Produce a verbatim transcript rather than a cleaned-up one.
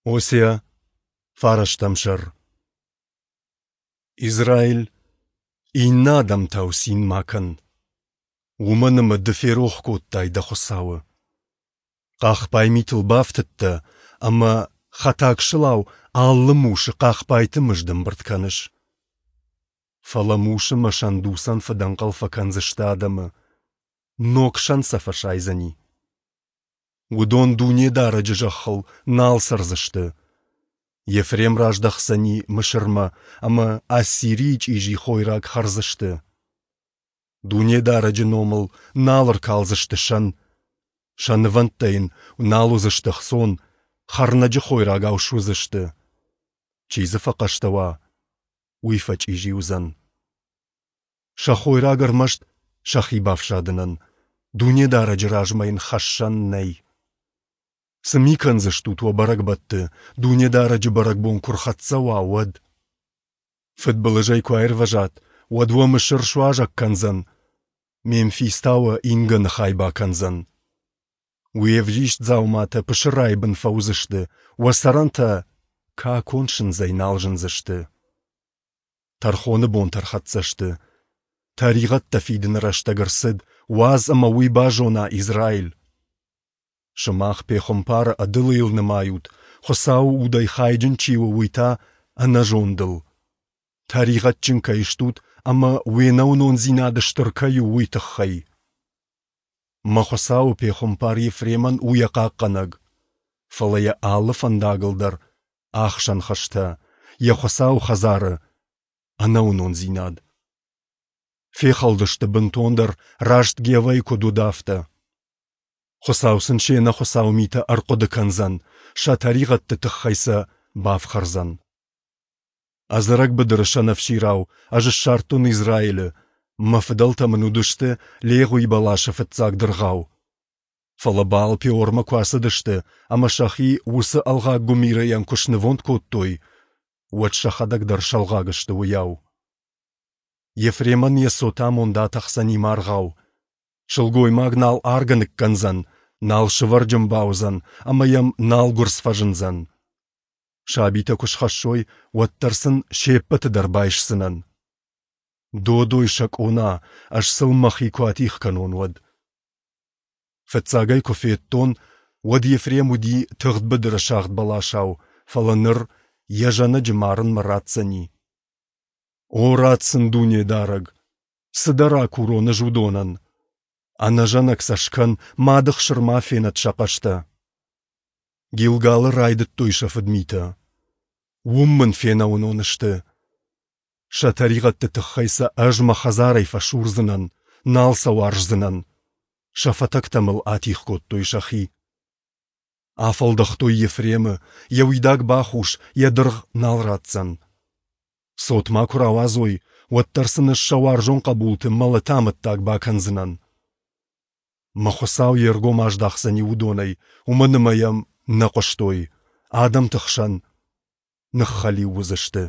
Осиа, фарӕстӕм сӕр. Израиль, иннӕ адӕмтау цин ма кӕн, уымӕн ӕмӕ ды ферох кодтай дӕ Хуыцауы. Хъахбай митыл бафтыдтӕ ӕмӕ хӕтаг сылау алы мусы хъахбайты мызд ӕмбырд кӕныс. Фӕлӕ мусы мӕ сӕндуцӕн фыдӕнхъӕл фӕкӕндзысты адӕмы, ног сӕн сӕ фӕсайдзӕни. Уыдон Дунедарӕджы зӕххыл нал цӕрдзысты. Ефрем раздӕхдзӕни Мысырмӕ, ӕмӕ Ассирийы чъизи хойраг хӕрдзысты. Дунедарӕджы номыл нал ӕркалдзысты сӕн, сӕ нывӕндтӕ йын нал уыдзысты ӕхцон, хӕрнӕджы хойрагау суыдзысты. Чи дзы фӕхъӕстӕ уа, уый фӕчъизи уыдзӕн. Сӕ хойраг ӕрмӕст сӕхи бафсадынӕн, Дунедарӕджы размӕ йын хӕссӕн нӕй. Цы ми кӕндзыстут уӕ бӕрӕгбӕтты, Дунедарӕджы бӕрӕгбон куы рхӕццӕ уа, уӕд? Фыдбылызӕй куы аирвӕзат, уӕд уӕ Мысыр суазӕг кӕндзӕн, Мемфис та уӕ ингӕны хай бакӕндзӕн. Уе взист дзауматӕ пысырайы бын фӕуыдзысты, уӕ цӕрӕнтӕ какон сындзӕй нал зындзысты. Тӕрхоны бонтӕ ӕрхӕццӕ сты. Тӕригъӕдтӕ фидыны рӕстӕг ӕрцыд, уадз ӕмӕ уый базона Израиль. Сымах пехуымпары ӕдылыйыл нымайут, Хуыцауы удӕй хайджын чи у, уый та ӕнӕзондыл. Тӕригъӕдджын кӕй стут ӕмӕ уе нӕуынондзинад стыр кӕй у, уый тыххӕй. Мӕ Хуыцауы пехуымпар Ефремӕн у йӕ хъахъхъӕнӕг, фӕлӕ йӕ алы фӕндагыл дӕр ӕхсӕн хызтӕ, йӕ Хуыцауы хӕдзары ӕнӕуынондзинад. Фехӕлдысты бынтондӕр, раст Гевӕйы куыд уыд, афтӕ. Хуыцау сын се нӕхуыцау митӕ ӕрхъуыды кӕндзӕн, сӕ тӕригъӕдты тыххӕй сӕ бафхӕрдзӕн. Ӕдзӕрӕг быдыры сӕнӕфсирау ӕз ссардтон Израилы, мӕ фыдӕлтӕ мын уыдысты легъуи бӕласы фыццаг дыргъау. Фӕлӕ Баал-Пеормӕ куы ацыдысты ӕмӕ сӕхи уыцы ӕлгъаг гуымирыйӕн куы снывонд кодтой, уӕд сӕхӕдӕг дӕр сӕлгъаг сты уыйау. Ефремӕн йӕ цот амонд атӕхдзӕни маргъау. Сылгоймаг нал аргӕ ныккӕндзӕн, нал сывӕрджын бауыдзӕн ӕмӕ йӕм нал гуырдз фӕзындзӕн. Сабитӕ куы схӕссой, уӕддӕр сын се ппӕты дӕр байсдзынӕн. Додой сӕ къона, ӕз сыл мӕхи куы атигъ кӕнон, уӕд. Фыццаг ӕй куы федтон, уӕд Ефрем уыди тыгъд быдыры сагъд бӕласау, фӕлӕ ныр йӕ зӕнӕджы марынмӕ ратдзӕни. О, ратт сын, Дунедарӕг! Цы дӕ ракурон ӕз уыдонӕн? Ӕнӕзӕнӕг сӕ скӕн, мады хсыр ма фенӕд сӕ хъӕстӕ. Гилгалы райдыдтой сӕ фыдмитӕ. Уым мын фенӕуынон сты. Сӕ тӕригъӕдты тыххӕй сӕ ӕз мӕ хӕдзарӕй фӕсурдзынӕн, нал сӕ уарздзынӕн. Сӕ фӕтӕгтӕ мыл атигъ кодтой сӕхи. Афӕлдӕхтой Ефремы, йӕ уидаг бахус, йӕ дыргъ нал ратдзӕн. Цот ма куы рауадзой, уӕддӕр сын ӕз сӕ уарзон хъӕбулты мӕлӕты амӕттаг бакӕндзынӕн. Мӕ Хуыцау йе ргом аздахдзӕни уыдонӕй, уымӕн ӕмӕ йӕм нӕ хъуыстой, адӕмты хсӕн ныххӕлиу уыдзысты.